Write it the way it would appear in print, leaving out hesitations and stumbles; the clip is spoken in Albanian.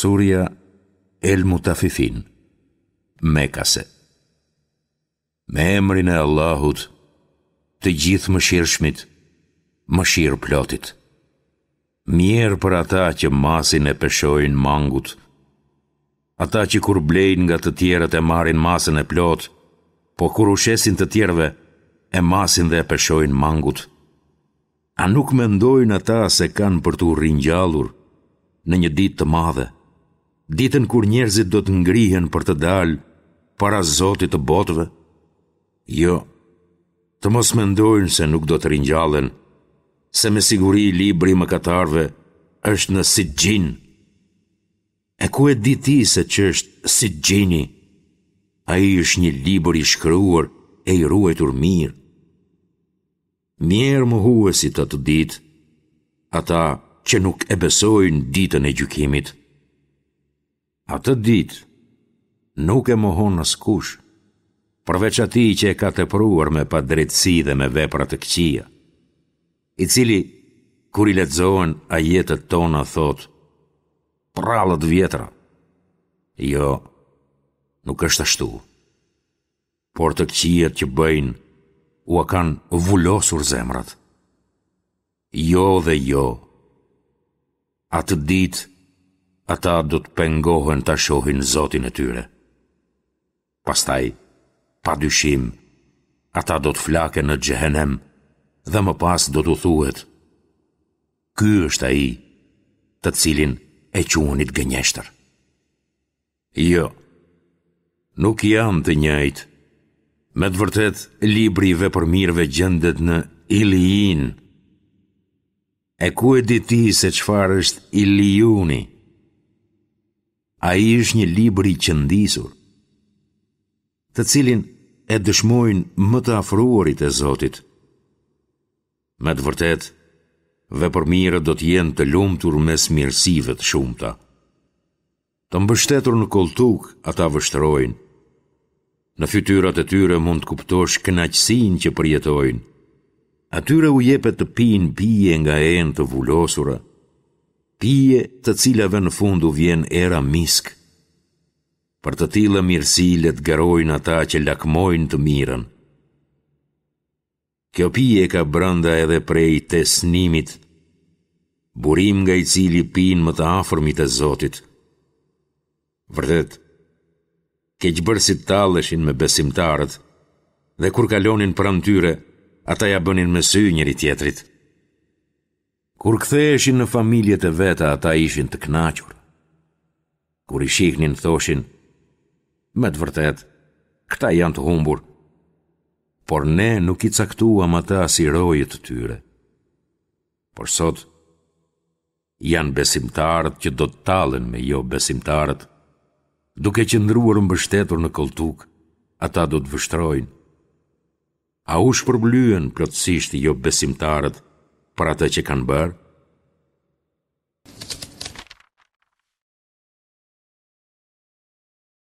Surja El Mutafifin, Mekase. Me emrin e Allahut, të Gjithëmëshirshmit, mëshirëplotit. Mjerë për ata që masin e peshojnë mangut, ata që kur blejnë nga të tjerët e marrin masën e plotë, po kur u shesin të tjerëve, e masin dhe e peshojnë mangut. A nuk mendojnë ata se kanë për t'u ringjallur në një ditë të madhe, ditën kur njerëzit do të ngrihen për të dalë para Zotit të botëve? Jo, të mos mendojnë se nuk do të ringjallen, se me siguri libri i mëkatarëve është në Sixhin. E ku e di ti se ç'është Sixhini? Ai është një libër i shkruar e i ruajtur mirë. Mjerë mohuesit atë ditë, ata që nuk e besojnë ditën e gjykimit. Atë ditë nuk e mohon askush, përveç atij që e ka tepruar me padrejtësi dhe me vepra të këqija, i cili, kur i lexohen ajetet tona, thotë, Përralla të vjetra. Jo, nuk është ashtu. Por të këqijat që bëjnë, ua kanë vulosur zemrat. Jo dhe jo. Atë ditë, ata do të pengohen ta shohin Zotin e tyre. Pastaj, pa dyshim, ata do të flaken në xhehenem dhe më pas do t'u thuhet, Ky është ai, të cilin e quanit gënjeshtër. Jo, nuk janë të njëjtë. Me të vërtetë, libri i vepërmirëve gjendet në Ilijin. E ku e di ti se çfarë është Ilijuni? Ai është një libër i qëndisur, të cilin e dëshmojnë më të afruarit e Zotit. Me të vërtetë, vepërmirët do të jenë të lumtur mes mirësive të shumta. Të mbështetur në kolltuk, ata vështrojnë. Në fytyrat e tyre mund të kuptosh kënaqësinë që përjetojnë. Atyre u jepet të pinë pije nga enë të vulosura, pije të cilave në fund u vjen era misk. Për të tilla mirësi le të garojnë ata që lakmojnë të mirën. Kjo pije ka brenda edhe prej tesnimit, burim nga i cili pinë më të afërmit e Zotit. Vërtet, keqbërësit talleshin me besimtarët dhe kur kalonin pranë tyre, ata ia bënin me sy njëri-tjetrit. Kur ktheheshin në familjet e veta, ata ishin të kënaqur. Kur i shihnin, thoshin, me të vërtetë, këta janë të humbur, por ne nuk i caktuam ata si roje të tyre. Por sot, janë besimtarët që do të tallen me jobesimtarët, duke qëndruar mbështetur në kolltuk, ata do të vështrojnë. A u shpërblyen plotësisht jobesimtarët për atë që kanë bërë?